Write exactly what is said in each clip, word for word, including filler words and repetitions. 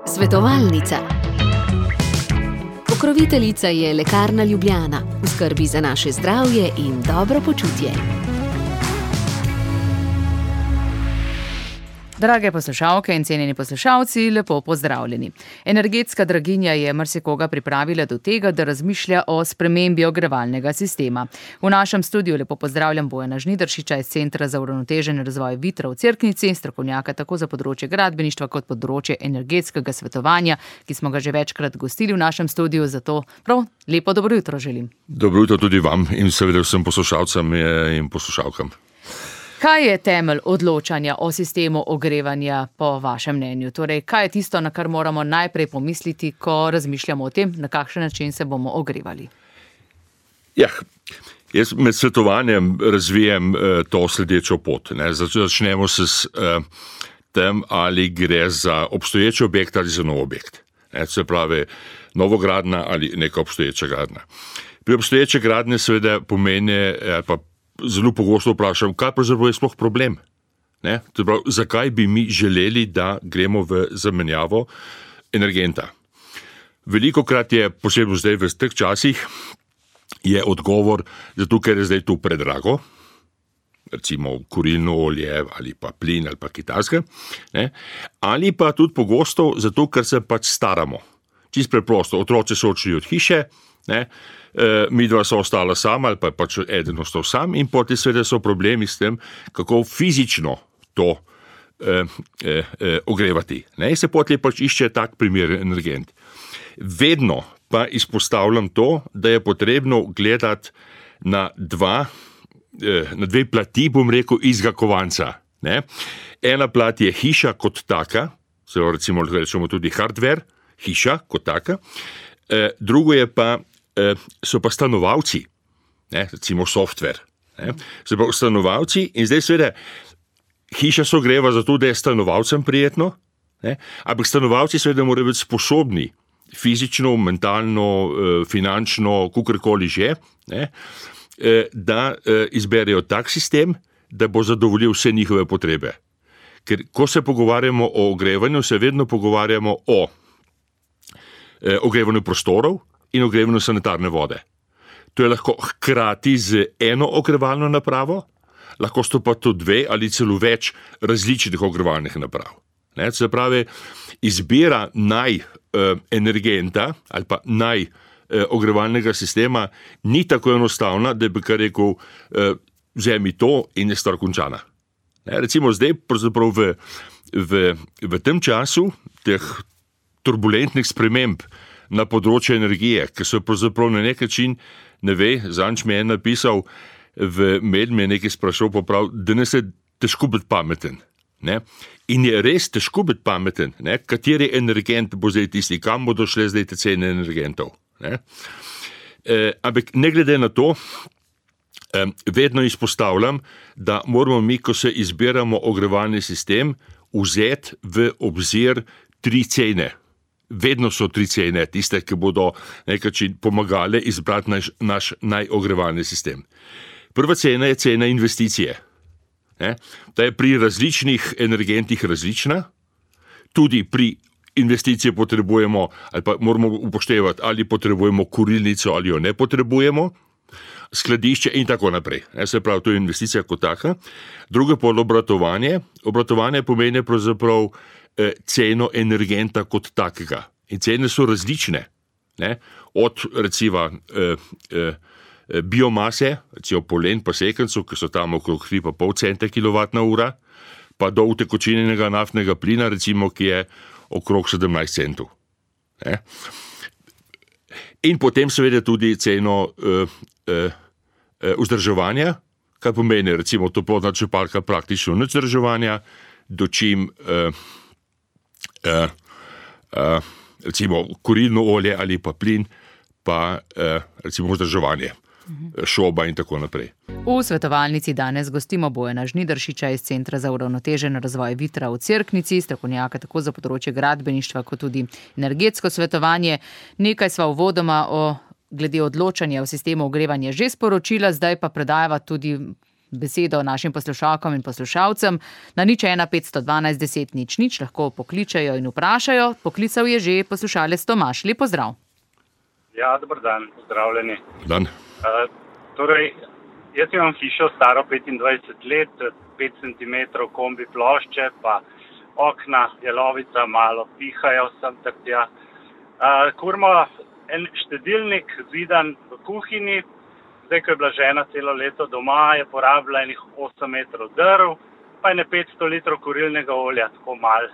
Svetovalnica. Pokroviteljica je Lekarna Ljubljana, v skrbi za naše zdravje in dobro počutje. Drage poslušalke in cenjeni poslušalci, lepo pozdravljeni. Energetska draginja je marsikoga pripravila do tega, da razmišlja o spremembi ogrevalnega sistema. V našem studiu lepo pozdravljam Bojana Žnidaršiča iz Centra za uravnotežen razvoj Vitra v Cerknici, strokovnjaka tako za področje gradbeništva kot področje energetskega svetovanja, ki smo ga že večkrat gostili v našem studiu, zato prav lepo dobro jutro želim. Dobro jutro tudi vam in seveda vsem poslušalcem in poslušalkam. Kaj je temelj odločanja o sistemu ogrevanja po vašem mnenju? Torej, kaj je tisto, na kar moramo najprej pomisliti, ko razmišljamo o tem, na kakšen način se bomo ogrevali? Ja, jaz med svetovanjem razvijem uh, to sledečo pot. Ne. Začnemo se s uh, tem, ali gre za obstoječ objekt ali za nov objekt. Ne, se pravi, novogradnja ali neka obstoječa gradnja. Pri obstoječe gradnje seveda pomeni, eh, pa zelo pogosto vprašam, kaj pravzaprav je sploh problem? Ne? Prav, zakaj bi mi želeli, da gremo v zamenjavo energenta? Velikokrat je, posebno zdaj v teh časih, je odgovor, zato ker je zdaj to predrago, recimo kurilno olje ali pa plin ali pa kitajska, ne? Ali pa tudi pogosto zato, ker se pač staramo. Čisto preprosto, otroci so odšli od hiše, ne? E, mi dva so ostala sama ali pa pač eden ostal sam in potem seveda so problemi s tem, kako fizično to e, e, e, ogrevati. Ne? In se potem pač išče tak primer energent. Vedno pa izpostavljam to, da je potrebno gledati na dva, e, na dve plati, bom rekel, izga kovanca. Ne? Ena plat je hiša kot taka, zelo recimo rečemo tudi hardware, hiša kot taka, e, drugo je pa so pa stanovalci, ne, recimo software. Ne, so pa stanovalci in zdaj seveda hiša se ogreva zato, da je stanovalcem prijetno, ne, ampak stanovalci seveda morajo biti sposobni fizično, mentalno, finančno, kakorkoli že, ne, da izberejo tak sistem, da bo zadovoljil vse njihove potrebe. Ker ko se pogovarjamo o ogrevanju, se vedno pogovarjamo o ogrevanju prostorov in ogrevanju sanitarne vode. To je lahko hkrati z eno ogrevalno napravo, lahko so pa to dve ali celo več različnih ogrevalnih naprav. Ne, se pravi, izbira naj eh, energenta ali pa naj eh, ogrevalnega sistema ni tako enostavna, da bi kar rekel, eh, vzemi to in je stvar končana. Ne, recimo zdaj, pravzaprav v, v, v tem času teh turbulentnih sprememb na področju energije, ki so pravzaprav na nek način, ne ve, zanč mi je napisal, v med me je nekaj sprašal poprav, da ne se težko biti pameten. Ne? In je res težko biti pameten, ne? Kateri energent bo zdaj tisti, kam bodo šle zdaj te cene energentov. Ne? E, ampak ne glede na to, e, vedno izpostavljam, da moramo mi, ko se izbiramo ogrevalni sistem, vzeti v obzir tri cene. Vedno so tri cene, tiste, ki bodo nekaj pomagale izbrati naš, naš najogrevalni sistem. Prva cena je cena investicije. Ne? Ta je pri različnih energentih različna, tudi pri investiciji potrebujemo, ali pa moramo upoštevati, ali potrebujemo kurilnico, ali jo ne potrebujemo, skladišče in tako naprej. Ne? Se pravi, to je investicija kot taka. Drugo pa obratovanje. Obratovanje pomeni pravzaprav ceno energenta kot takega. In cene so različne. Ne? Od recimo eh, eh, biomase, recimo polen pa sekencu, ki so tam okrog tri pa pol centa kilovatna ura, pa do utekočinjenega naftnega plina, recimo, ki je okrog sedemnajst centov. Ne? In potem seveda tudi ceno eh, eh, vzdrževanja, kar pomeni recimo toplotna črpalka praktično nič vzdrževanja, dočim eh, Uh, uh, recimo kurilno olje ali pa plin, pa uh, recimo vzdrževanje, uh-huh. šoba in tako naprej. V svetovalnici danes gostimo Bojana Žnidaršiča iz Centra za uravnotežen razvoj Vitra v Cerknici, strokovnjaka tako za področje gradbeništva kot tudi energetsko svetovanje. Nekaj sva uvodoma o glede odločanja v sistemu ogrevanja že sporočila, zdaj pa predajava tudi besedo našim poslušalkom in poslušalcem. Na nič ena petsto dvanajst deset nič nič lahko pokličajo in vprašajo. Poklical je že poslušalec Tomaž. Lep pozdrav. Ja, dober dan, pozdravljeni. Dan. Uh, torej, jaz imam hišo staro petindvajset let, pet centimetrov kombi plošče, pa okna, jelovica malo pihajo sem tak tja. Uh, kurmo en štedilnik zidan v kuhinji, zdaj, ko je bila žena celo leto doma, je porabila enih osem metrov drv, pa je petsto litrov kurilnega olja, tako malo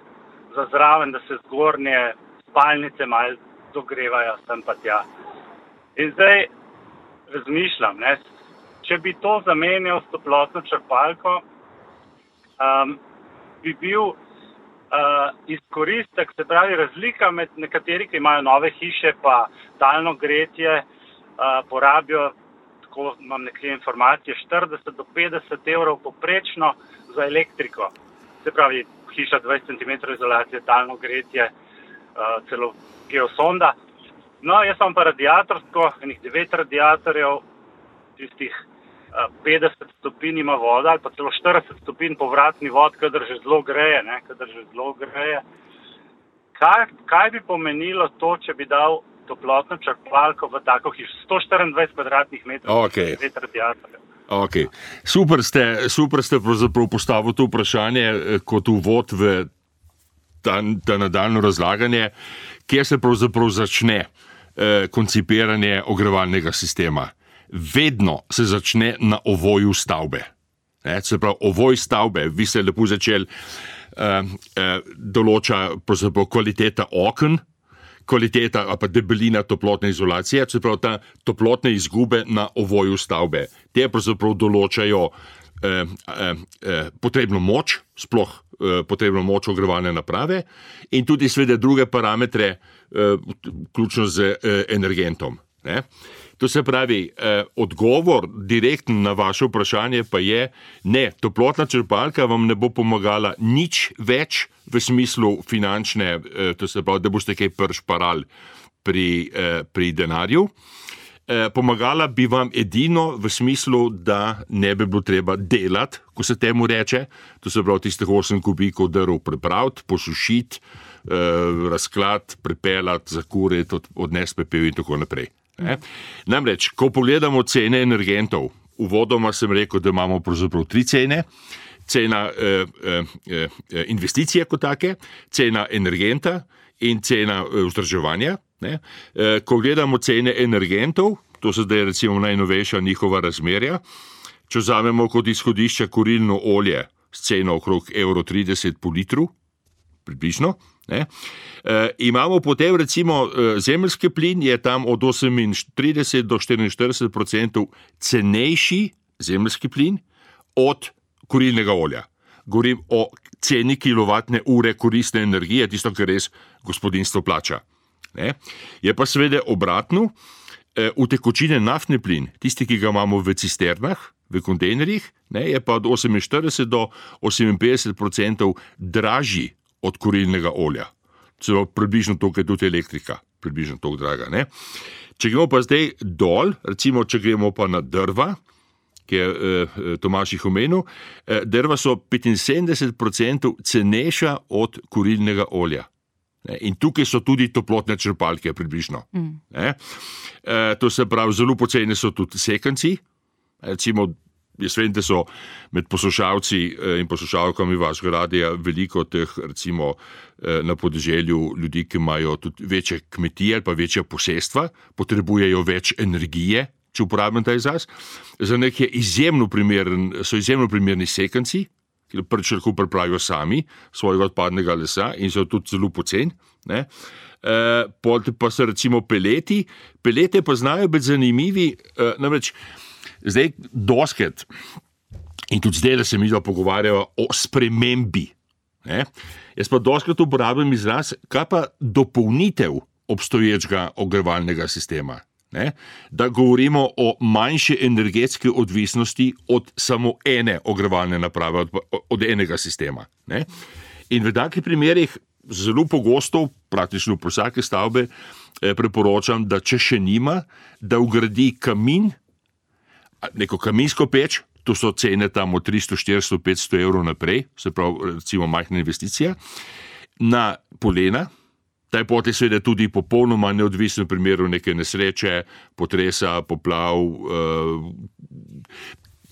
za zraven, da se zgornje spalnice malo dogrevajo sem pa tja. In zdaj razmišljam, ne, če bi to zamenjal s toplotno črpalko, um, bi bil uh, izkoristek, se pravi razlika med nekateri, ki imajo nove hiše, pa talno gretje, uh, porabijo, tako imam nekje informacije, štirideset do petdeset evrov poprečno za elektriko. Se pravi, hiša dvajset centimetrov izolacije, talno gretje, uh, celo geosonda. No, jaz sem pa radiatorsko, enih devet radiatorjev, tistih uh, petdeset stopinj ima voda, ali pa celo štirideset stopinj povratni vod, kadar že zelo greje, ne, kadar že zelo greje. Kaj, kaj bi pomenilo to, če bi dal toplotno črpalko v tako hišo, sto štiriindvajset kvadratnih metrov, okay. devet radiatorjev? Okay. Super ste, super ste pravzaprav postavili to vprašanje kot uvod v ta, ta nadaljno razlaganje, kjer se pravzaprav začne eh, koncipiranje ogrevalnega sistema. Vedno se začne na ovoju stavbe. Ne, se pravi, ovoj stavbe, vi ste lepo začeli, eh, eh, določa pravzaprav kvaliteta oken, kvaliteta ali pa debelina toplotne izolacije, se pravi ta toplotne izgube na ovoju stavbe. Te pravzaprav določajo eh, eh, eh, potrebno moč, sploh eh, potrebno moč ogrevalne naprave in tudi seveda druge parametre, eh, vključno z eh, energentom. Ne? To se pravi, eh, odgovor direktno na vaše vprašanje pa je, ne, toplotna črpalka vam ne bo pomagala nič več v smislu finančne, eh, to se pravi, da boste kaj pršparali pri, eh, pri denarju. Eh, pomagala bi vam edino v smislu, da ne bi bilo treba delati, ko se temu reče, to se pravi tistih osem kubikov drv pripraviti, posušiti, eh, razklati, pripeljati, zakuriti, odnesti pepel in tako naprej. Ne? Namreč, ko pogledamo cene energentov, uvodoma sem rekel, da imamo pravzaprav tri cene, cena eh, eh, investicije kot take, cena energenta in cena eh, vzdrževanja. Ne? Eh, ko gledamo cene energentov, to so zdaj recimo najnovejša njihova razmerja, če vzamemo kot izhodišče kurilno olje s ceno okrog evro trideset po litru, približno, ne? E, imamo potem recimo zemeljski plin, je tam od osemintrideset do štiriinštirideset procentov cenejši zemeljski plin od kurilnega olja. Govorim o ceni kilovatne ure koristne energije, tisto, kar res gospodinjstvo plača. Ne? Je pa seveda obratno, e, utekočine naftni plin, tisti, ki ga imamo v cisternah, v kontejnerjih, ne, je pa od oseminštirideset do oseminpetdeset procentov dražji od kurilnega olja. Celo približno toliko je tudi elektrika, približno toliko draga. Ne? Če gremo pa zdaj dol, recimo, če gremo pa na drva, ki je eh, Tomaž jih omenil, eh, drva so petinsedemdeset procentov cenejša od kurilnega olja. Ne? In tukaj so tudi toplotne črpalke približno. Mm. Ne? Eh, to se pravi, zelo poceni so tudi sekanci, recimo, jaz vem, da so med poslušalci in poslušalkami vašega radija veliko teh, recimo, na podeželju ljudi, ki imajo tudi večje kmetije ali pa večja posestva, potrebujejo več energije, če uporabim ta izraz. Za njih je izjemno primeren, so izjemno primerni sekanci, ki prvič lahko pripravijo sami svojega odpadnega lesa in so tudi zelo poceni. Ne? E, pa so recimo peleti. Pelete pa znajo biti zanimivi, e, namreč zdaj doskrat, in tudi zdaj, da se mi pogovarjajo o spremembi. Ne? Jaz pa doskrat uporabljam izraz, kaj pa dopolnitev obstoječega ogrevalnega sistema. Ne? Da govorimo o manjši energetski odvisnosti od samo ene ogrevalne naprave, od, od enega sistema. Ne? In v takih primerih zelo pogosto, praktično po vsake stavbe, eh, priporočam, da če še nima, da vgradi kamin, neko kaminsko peč, to so cene tam od tristo, štiristo, petsto evrov naprej, se pravi, recimo majhna investicija. Na polena, ta pot je seveda tudi popolnoma neodvisen v primeru neke nesreče, potresa, poplav, uh,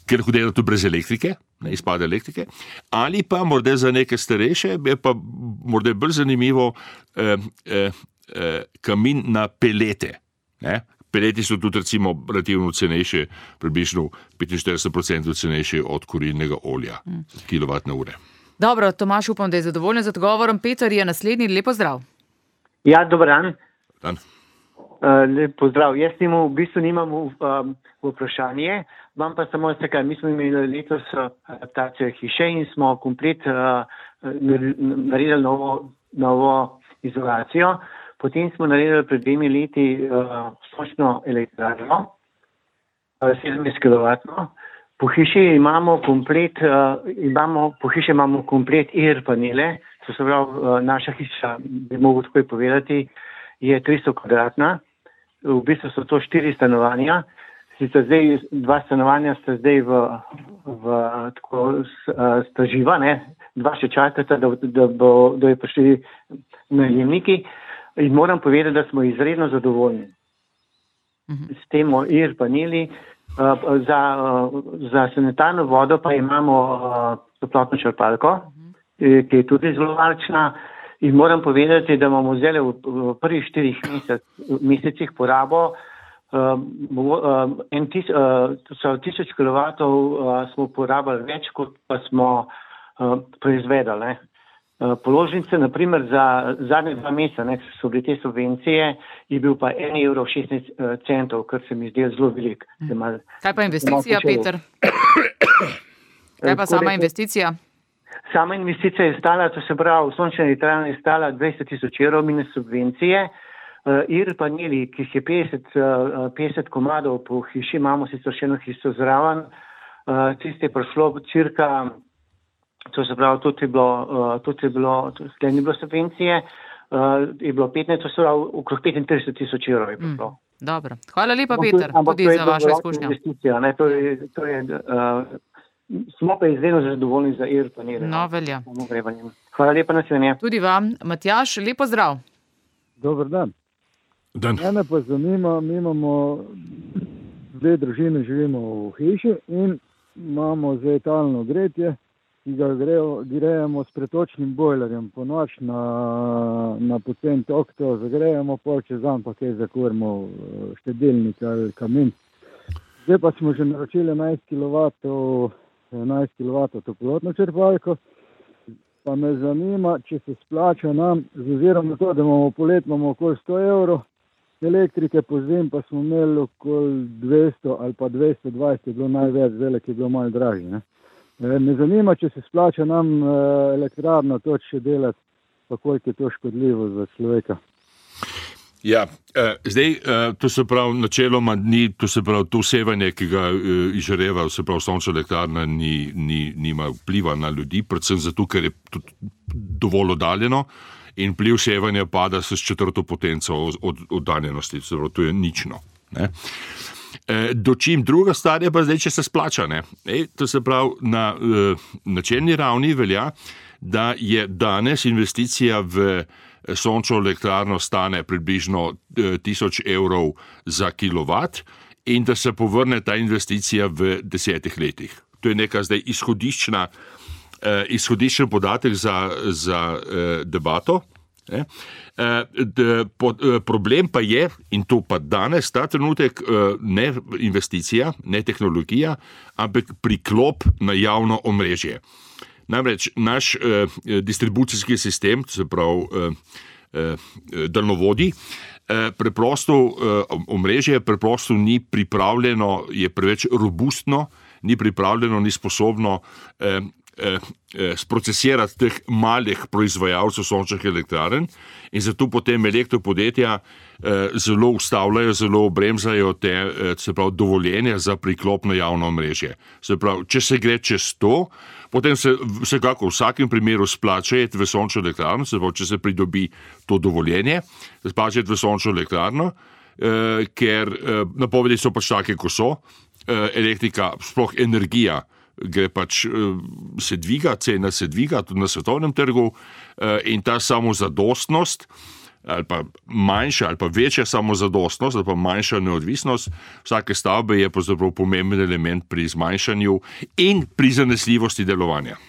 ker hodilo to brez elektrike, ne, izpade elektrike, ali pa morda za neke starejše, je pa morda bolj zanimivo eh, eh, eh, kamin na pelete. Ne. Peleti so tudi recimo relativno cenejše, približno petinštirideset procentov cenejše od kurilnega olja, mm. kilovatne ure. Dobro, Tomaž, upam, da je zadovoljen z odgovorom. Peter je naslednji, lepo zdrav. Ja, dober dan. Dan. Uh, lep pozdrav. Jaz temu v bistvu nimam um, vprašanje, vam pa samo nekaj. Mi smo imeli letos adaptacijo hiše in smo komplet uh, naredili novo, novo izolacijo. Potem smo naredili pred dvemi leti uh, sončno elektrarno, uh, sedemdeset kilovatno. Po hiši imamo komplet, uh, imamo, po hiši imamo komplet air panele, to se pravi, uh, naša hiša, bi mogel tako povedati, je tristo kvadratna, v bistvu so to štiri stanovanja, sicer zdaj dva stanovanja sta zdaj v, v tako sta živa, ne, dva še čakata, da, da, bo, da je prišli najemniki in moram povedati, da smo izredno zadovoljni s tem air paneli. Za, za sanitarno vodo pa imamo toplotno črpalko, ki je tudi zelo varčna. In moram povedati, da imamo zdaj v prvih štirih mesec, mesecih porabo um, um, en tis, uh, tisoč kilovatov uh, smo porabili več, kot pa smo uh, proizvedali. Uh, položnice, naprimer, za zadnje dva meseca, ne, so bile te subvencije, je bil pa en evro šestnajst centov, kar se mi zdi zelo velik. Hmm. Kaj pa investicija, Peter? Kaj pa sama investicija? Sama investicija je stala, to se pravi, sončna elektrarna je stala dvajset tisoč evrov minus subvencije. Uh, air paneli, ki jih je petdeset, uh, petdeset komadov po hiši, imamo sicer še eno hišo zraven, uh, tiste je prišlo cirka, to se pravi, tudi je bilo, uh, tudi je bilo, tudi ni bilo subvencije, uh, je bilo petnajst, to se pravi, okrog petintrideset tisoč evrov je prišlo. Mm, dobro. Hvala lepa, Peter, tudi za vašo izkušnjo. Ne, to je, to je, uh, smo pa izredno zadovoljni za air panele. No, velja. Hvala lepa, naslednje. Tudi vam. Matjaž, lepo zdrav. Dober dan. Dan. Mene pa zanima, mi imamo dve družine, živimo v hiši in imamo zdaj talno gretje, ki ga grejemo s pretočnim bojlerjem. Po noč na, na pocen tok to zagrejemo, pol čez dan pa kaj zakurimo štedilnik ali kamin. Zdaj pa smo že naročili enajst kilovatov, enajst kilovatov toplotno črpalko, pa me zanima, če se splača nam, z ozirom na to, da imamo polet, imamo okoli sto evrov, elektrike po zim pa smo imeli okoli dvesto ali pa dvesto dvajset, je bilo največ, velik je bilo malo dražji. Ne? Me zanima, če se splača nam elektrarno to še delati, pa koliko je to škodljivo za človeka. Ja, eh, zdaj, eh, to se pravi, načeloma ni, to se pravi, to sevanje, ki ga eh, izžareva, se pravi, sončna elektrarna ni, ni, nima vpliva na ljudi, predvsem zato, ker je tudi dovolj oddaljeno in vpliv sevanja pada s četrto potenco od oddaljenosti, se pravi, to je nično. Ne? Eh, dočim druga stvar je pa zdaj, če se splača, ne? E, to se pravi, na eh, načelni ravni velja, da je danes investicija v sončno elektrarno stane približno tisoč evrov za kilovat in da se povrne ta investicija v desetih letih. To je neka zdaj izhodiščna, eh, izhodiščen podatek za, za eh, debato. Eh. Eh, po, eh, problem pa je, in to pa danes, ta trenutek, eh, ne investicija, ne tehnologija, ampak priklop na javno omrežje. Namreč naš eh, distribucijski sistem, se pravi eh, eh, daljnovodi, eh, preprosto eh, omrežje preprosto ni pripravljeno, je preveč robustno, ni pripravljeno, ni sposobno eh, eh, sprocesirati teh malih proizvajalcev sončnih elektrarn in zato potem elektropodjetja eh, zelo ustavljajo, zelo obremzajo te, eh, se pravi, dovoljenja za priklop na javno omrežje. Se pravi, če se gre čez to, potem se vsekako v vsakem primeru splača iti v sončno elektrarno, se pravi, če se pridobi to dovoljenje, splača iti v sončno elektrarno, eh, ker eh, napovedi so pač take, ko so, elektrika, sploh energija, gre pač, se dviga, cena se dviga tudi na svetovnem trgu in ta samozadostnost ali pa manjša ali pa večja samozadostnost ali pa manjša neodvisnost vsake stavbe je pravzaprav pomemben element pri zmanjšanju in pri zanesljivosti delovanja.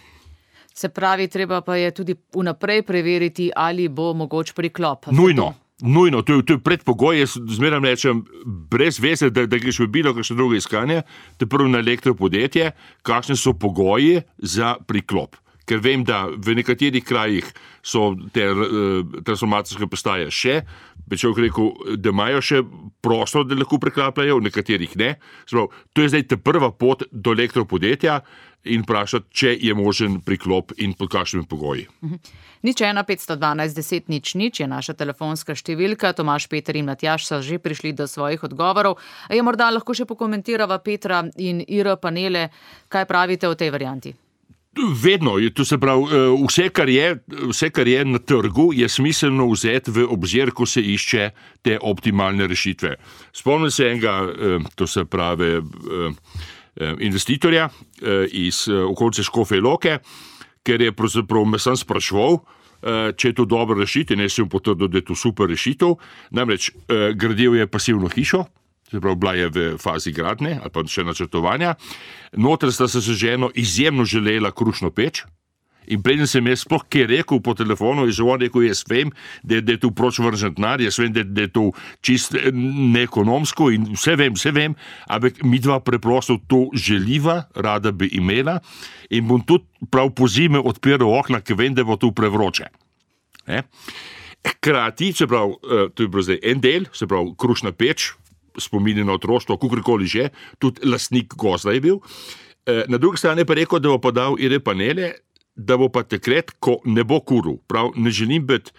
Se pravi, treba pa je tudi vnaprej preveriti, ali bo mogoč priklop. Nujno. Nujno, to je, to je predpogoj, jaz zmeraj rečem, brez veze, da, da greš v bilo kakšno drugo iskanje, te prvo na elektropodjetje, kakšne so pogoji za priklop. Ker vem, da v nekaterih krajih so te uh, transformacijske postaje še, bi človek rekel, da imajo še prostor, da lahko preklapljajo, v nekaterih ne. Sprav, to je zdaj ta prva pot do elektropodjetja in vprašati, če je možen priklop in pod kakšnimi pogoji. Nič ena petsto dvanajst deset nič nič je naša telefonska številka. Tomaž, Peter in Matjaž so že prišli do svojih odgovorov. Je morda lahko še pokomentirava Petra in Ira panele, kaj pravite o tej varianti? Vedno, to se pravi, vse kar je, vse, kar je na trgu, je smiselno vzeti v obzir, ko se išče te optimalne rešitve. Spomnim se enega, to se pravi, investitorja iz okolice Škofje Loke, ker je pravzaprav me sam spraševal, če je to dobro rešitev, ne sem potrdil, da je to super rešitev. Namreč gradil je pasivno hišo, se pravi, bila je v fazi gradnje ali pa še načrtovanja. Noter sta se z ženo izjemno želela krušno peč in preden sem jaz sploh kaj rekel po telefonu, je že on rekel, jaz vem, da, da je to proč vržen denar, jaz vem, da, da je to čist neekonomsko in vse vem, vse vem, ampak mi dva preprosto to želiva, rada bi imela in bom tudi prav po zime odpiral okna, ker vem, da bo to prevroče. Ne? Hkrati, se pravi, to je bilo zdaj en del, se pravi, krušna peč, spominje na otroštvo, kakorkoli že, tudi lastnik gozda je bil. Na drugi strani pa rekel, da bo pa dal ire panele, da bo pa takrat, ko ne bo kuril. Prav, ne želim biti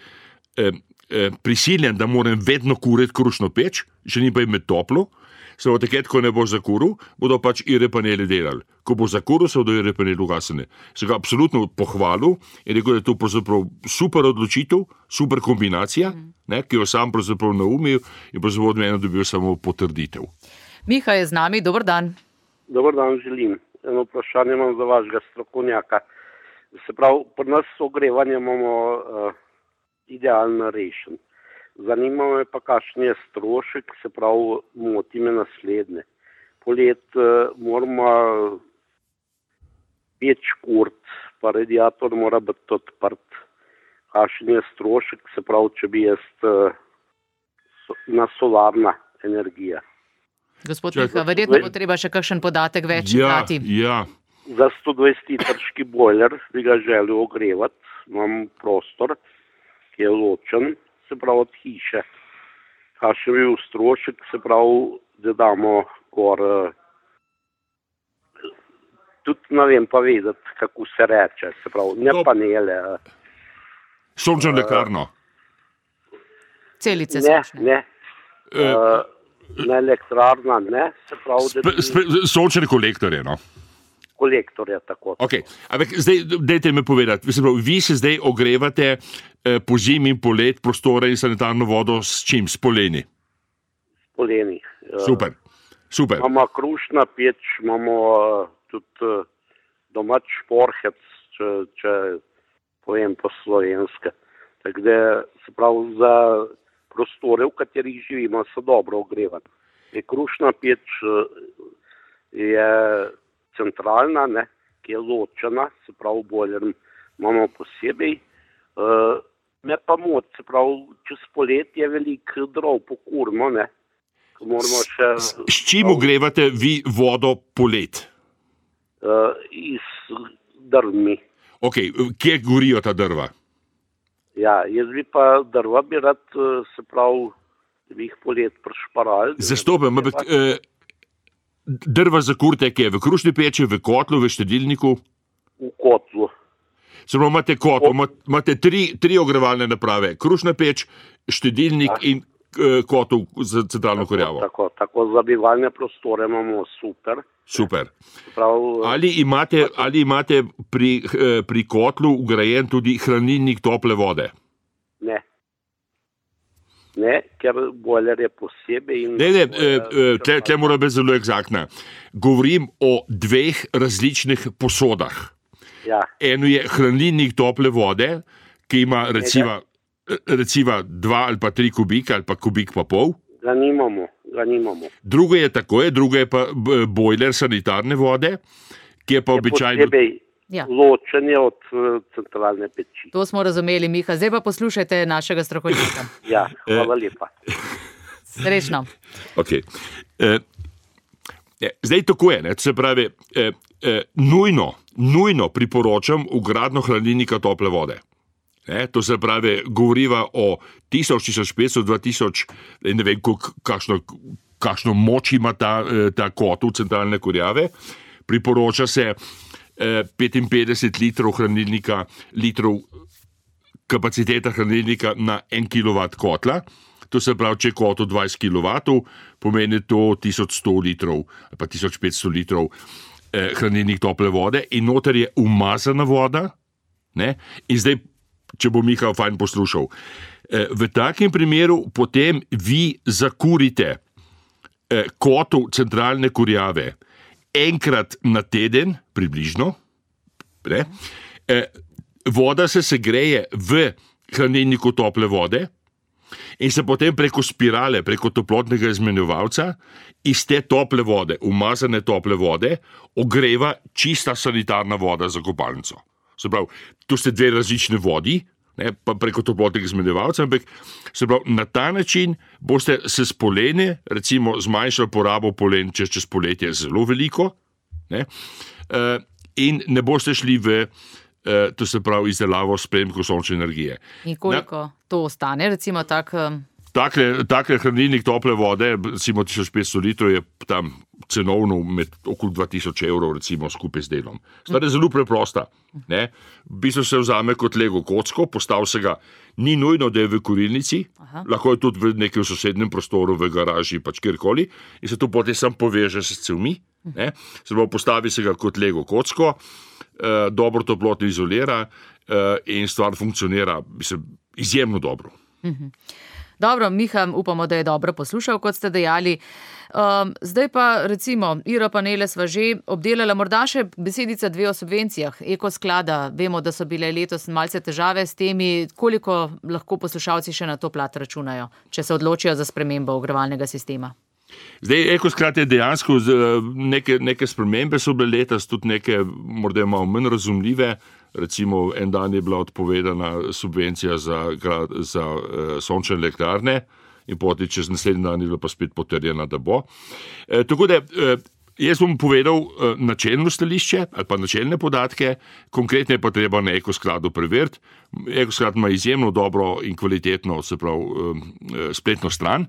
eh, eh, prisiljen, da moram vedno kuriti krušno peč, želim pa imeti toplo, se bo takrat, ko ne bo zakuril, bodo pač ire panele delali. Ko bo zakuril, se bodo ire panele ugasnili. Se ga absolutno pohvalil in rekel, da je to pravzaprav super odločitev, super kombinacija, mm. ne, ki jo sam pravzaprav naumil in pravzaprav od mene dobil samo potrditev. Miha je z nami, dober dan. Dober dan, želim. Eno vprašanje imam za vašega strokovnjaka. Se pravi, pri nas ogrevanje imamo uh, idealno rešen. Zanima me pa, kakšen je strošek, se pravi, moti me naslednje. Polet uh, moramo peč kurt, pa radiator mora biti odprt. Kakšen je strošek, se pravi, če bi jaz uh, so, na solarna energija. Gospod Miha, verjetno bo treba še kakšen podatek več dati. Ja, ja. Za sto dvajset litrski bojler bi ga želel ogrevati, imam prostor, ki je ločen, se pravi od hiše. Kakšen bi bil strošek, se pravi, da damo gor, tudi ne vem pa vedeti, kako se reče, se pravi, ne panele. Sončno elektrarno. Celice ne, sončne. Ne, ne. Uh, ne elektrarna, ne, se pravi, da bi... Sončne kolektorje, no. Kolektorja, tako. Ok, ampak zdaj, dajte me povedati, vi se zdaj ogrevate eh, po zimi in polet prostore in sanitarno vodo s čim? S poleni? S poleni. Super, super. Imamo krušna peč, imamo uh, tudi uh, domač šporhec, če, če povem po slovenske. Tako da se pravi za prostore, v katerih živimo, so dobro ogrevani. Je krušna peč uh, je centralna, ne, ki je ločena, se pravi, bojler imamo posebej. Uh, me pa moti, se pravi, čez poletje veliko drov pokurimo, ne. Še, s, s čim ogrevate vi vodo polet? Uh, iz drvmi. Ok, kje gorijo ta drva? Ja, jaz bi pa drva bi rad, se pravi, da bi jih polet prešparali. Zastopam, ampak... Uh, Drva za kurte, ki je v krušni peči, v kotlu, v štedilniku? V kotlu. Se pravi, imate kotlo, imate tri, tri ogrevalne naprave, krušna peč, štedilnik ja. in uh, kotl za centralno kurjavo. Tako, tako za bivalne prostore imamo super. Super. Prav, ali imate, ali imate pri, uh, pri kotlu ugrajen tudi hranilnik tople vode? Ne. ne, ker bojler je posebej. In ne, ne, tle, tle mora biti zelo egzaktna. Govorim o dveh različnih posodah. Ja. Eno je hranilnik tople vode, ki ima recimo, recimo dva ali pa tri kubika ali pa kubik pa pol. Ga nimamo, ga nimamo. Drugo je tako, je, drugo je pa bojler sanitarne vode, ki je pa je običajno... Posebej Ja. ločen je od uh, centralne peči. To smo razumeli, Miha. Zdaj pa poslušajte našega strokovnjaka. Ja, hvala lepa. Srečno. Okay. Eh, zdaj tako je, ne? Se pravi, eh, eh, nujno, nujno priporočam vgradnjo hranilnika tople vode. Ne? To se pravi, govoriva o tisoč, tisoč petsto, dva tisoč, ne vem, kakšno, kakšno moč ima ta, ta kotel centralne kurjave. Priporoča se petinpetdeset litrov hranilnika, litrov kapaciteta hranilnika na en kilovat kotla. To se pravi, če je kotel dvajset kilovatov, pomeni to tisoč sto litrov ali pa tisoč petsto litrov eh, hranilnik tople vode in noter je umazana voda. Ne? In zdaj, če bo Miha fajn poslušal, eh, v takem primeru potem vi zakurite eh, kotel centralne kurjave enkrat na teden, približno, ne? E, voda se segreje v hranilniku tople vode in se potem preko spirale, preko toplotnega izmenjevalca iz te tople vode, umazane tople vode, ogreva čista sanitarna voda za kopalnico. Se pravi, to ste dve različne vodi, ne, pa preko toplotnega izmenjevalca, ampak se pravi, na ta način boste se s poleni, recimo zmanjšali porabo polen čez, čez poletje zelo veliko, ne, uh, in ne boste šli v, uh, to se pravi, izdelavo s prejemkom sončne energije. In koliko na, to ostane, recimo tak... Um... Takle, takle hranilnik tople vode, recimo tisoč petsto litrov, je tam cenovno med okoli dva tisoč evrov, recimo skupaj s delom. Stvar je zelo preprosta. Ne? V bistvu se vzame kot lego kocko, postav se ga, ni nujno, da je v kurilnici, Aha. lahko je tudi v nekem sosednjem prostoru, v garaži, pač kjerkoli, in se to potem sam poveže s cevmi. Ne? Se pravi, postavi se ga kot lego kocko, eh, dobro toplotno izolira eh, in stvar funkcionira mislim, izjemno dobro. Mhm. Dobro, Miha, upamo, da je dobro poslušal, kot ste dejali. Um, zdaj pa, recimo, Iropanele sva že obdelala, morda še besedica dve o subvencijah Ekosklada. Vemo, da so bile letos malce težave s temi, koliko lahko poslušalci še na to plat računajo, če se odločijo za spremembo ogrevalnega sistema. Zdaj, Ekosklad je dejansko, neke, neke spremembe so bile letos, tudi neke morda malo manj razumljive. Recimo, en dan je bila odpovedana subvencija za, za uh, sončne elektrarne in potem čez naslednji dan je bila pa spet potrjena, da bo. E, tako da, e, jaz bom povedal e, načelno stališče ali pa načelne podatke, konkretne pa treba na Ekoskladu preveriti. Ekosklad ima izjemno dobro in kvalitetno, se pravi, e, spletno stran,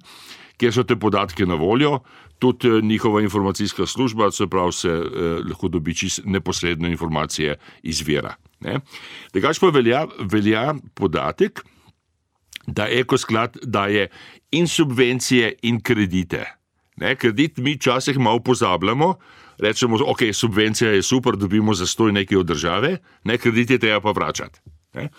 kjer so te podatke na voljo, tudi njihova informacijska služba, se pravi, se eh, lahko dobi čist neposredno informacije iz vira. Drugače pa velja, velja podatek, da Ekosklad daje in subvencije in kredite. Ne? Kredit mi včasih malo pozabljamo, rečemo, ok, subvencija je super, dobimo zastoj nekaj od države, ne, kredit je treba pa vračati. Ne?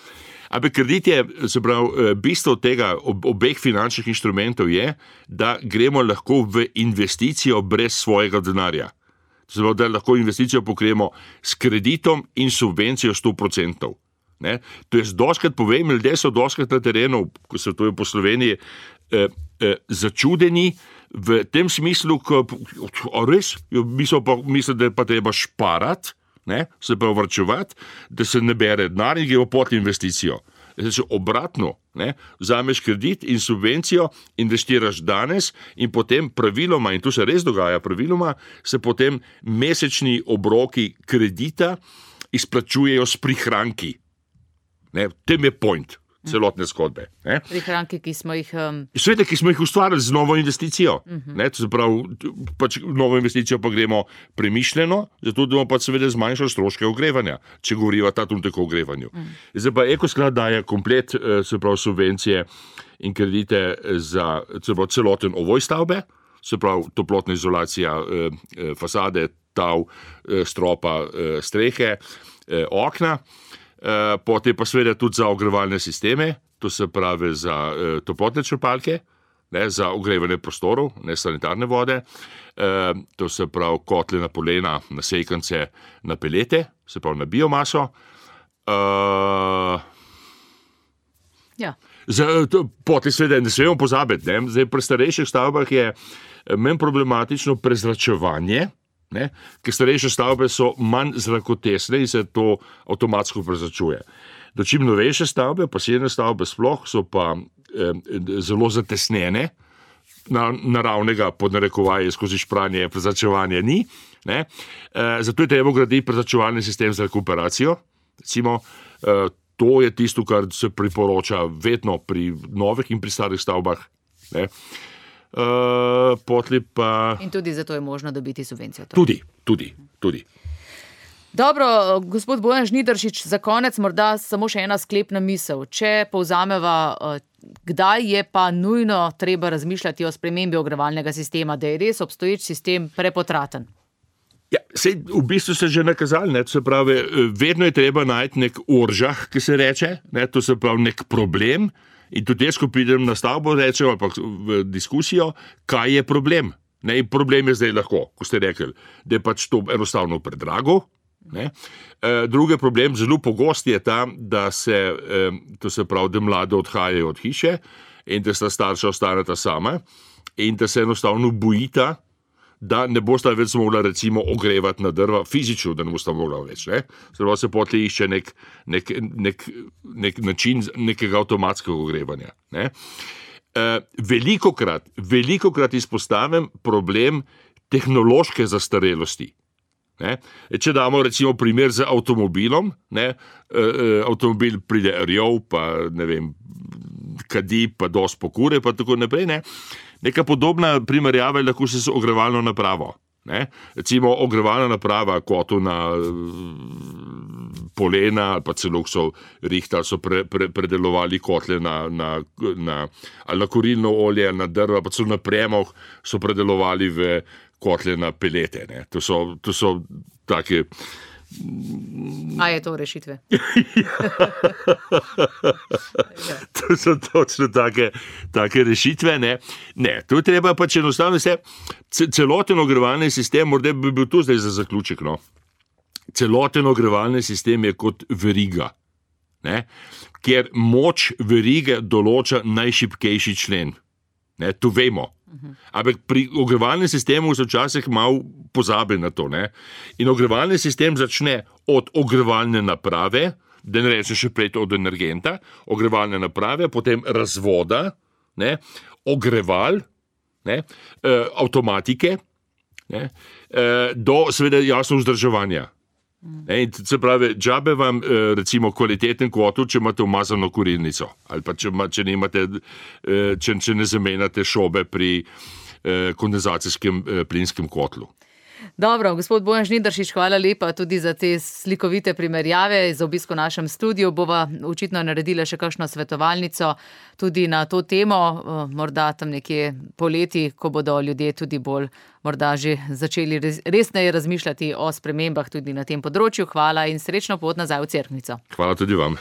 Ampak kredit je, se pravi, bistvo tega obeh finančnih inštrumentov je, da gremo lahko v investicijo brez svojega denarja. Se pravi, da lahko investicijo pokrijemo s kreditom in subvencijo sto procentov. Ne? To je doskrat, povem, ljudje so doskrat na terenu, ko se to je po Sloveniji, eh, eh, začudeni v tem smislu, ko, o, res, mislijo pa, mislijo, da je pa treba šparati, ne, se pa vrčevati, da se ne bere denar in gremo pod investicijo. Zdaj, obratno, ne, vzameš kredit in subvencijo, investiraš danes in potem praviloma, in tu se res dogaja praviloma, se potem mesečni obroki kredita izplačujejo s prihranki. Ne, tem je point celotne zgodbe. Ne. Prihranki, ki smo jih... Um... Sveda, ki smo jih ustvarili z novo investicijo. Uh-huh. Ne, to se pravi, pač novo investicijo pa gremo premišljeno, zato da bomo pa seveda zmanjšali stroške ogrevanja, če govoriva ta trenutek o ogrevanju. Uh-huh. Zdaj pa Ekosklad daje komplet, se pravi, subvencije in kredite za se pravi, celoten ovoj stavbe, se pravi, toplotna izolacija fasade, tav, stropa, strehe, okna. potem pa seveda tudi za ogrevalne sisteme, to se pravi za toplotne črpalke, ne, za ogrevanje prostorov, ne sanitarne vode, to se pravi kotle na polena, na sekance, na pelete, se pravi na biomaso. Ja. Potem seveda ne smemo pozabiti, ne, zdaj pri starejših stavbah je manj problematično prezračevanje, ne, ker starejše stavbe so manj zrakotesne in se to avtomatsko prezračuje. Dočim novejše stavbe, pasivne stavbe sploh, so pa eh, zelo zatesnjene, na, naravnega podnarekovaje skozi špranje prezračevanja ni. Ne. Eh, zato je treba graditi prezračevalni sistem za rekuperacijo. Recimo, eh, to je tisto, kar se priporoča vedno pri novih in pri starih stavbah. Ne. Uh, pa... In tudi zato je možno dobiti subvencijo. Tudi, tudi, tudi. Dobro, gospod Bojan Žnidaršič, za konec morda samo še ena sklepna misel. Če povzameva, kdaj je pa nujno treba razmišljati o spremembi ogrevalnega sistema, da je res obstoječ sistem prepotraten? Ja, sej, v bistvu se že nakazali, ne, to se pravi, vedno je treba najti nek oržah, ki se reče, ne, to se pravi nek problem. In tudi jaz, ko pridem na stavbo, rečem ali pa v diskusijo, kaj je problem. Ne, in problem je zdaj lahko, ko ste rekli, da je pač to enostavno predrago. Ne. E, drugi problem, zelo pogost je ta, da se, e, to se pravi, da mlade odhajajo od hiše in da sta starša ostaneta sama in da se enostavno bojita, da ne bosta več mogla recimo ogrevati na drva, fizično, da ne bosta mogla več. Ne? Zdaj se potlej išče nek, nek, nek, nek način nekega avtomatskega ogrevanja. Ne? E, velikokrat, velikokrat izpostavim problem tehnološke zastarelosti. Ne? Če damo recimo primer z avtomobilom, ne? E, avtomobil pride rjov, pa ne vem, kadi, pa dosti pokure, pa tako naprej, ne? Neka podobna primerjava je lahko se z ogrevalno napravo. Ne? Recimo ogrevalna naprava kotu na polena ali pa celo so rihtali, so pre, pre, predelovali kotle na, na, na, ali na kurilno olje, ali na drva, pa celo na premog so predelovali v kotle na pelete. Ne? To so, to so take... A je to rešitve? To so točno take, take rešitve. Ne, ne to je treba pač enostavno se, celoten ogrevalni sistem, morda bi bil tu zdaj za zaključek, no. Celoten ogrevalni sistem je kot veriga, ne, ker moč verige določa najšibkejši člen. Ne, to vemo. Ampak pri ogrevalnem sistemu se včasih malo pozabi na to. Ne? In ogrevalni sistem začne od ogrevalne naprave, da ne rečem še prej od energenta, ogrevalne naprave, potem razvoda, ne? Ogreval, ne? E, avtomatike, ne? E, do seveda jasno vzdrževanja. Ne, se pravi, džabe vam recimo kvaliteten kotl, če imate umazano kurilnico ali pa če, če, nimate, če, če ne zamenjate šobe pri kondenzacijskem plinskem kotlu. Dobro, gospod Bojan Žnidaršič, hvala lepa tudi za te slikovite primerjave. Za obisko v našem studiu bova očitno naredila še kakšno svetovalnico tudi na to temo, morda tam nekje poleti, ko bodo ljudje tudi bolj morda že začeli resneje razmišljati o spremembah tudi na tem področju. Hvala in srečno pot nazaj v Cerknico. Hvala tudi vam.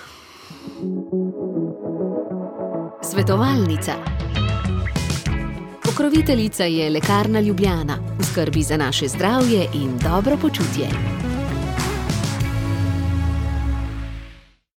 Svetovalnica. Pokroviteljica je Lekarna Ljubljana, v skrbi za naše zdravje in dobro počutje.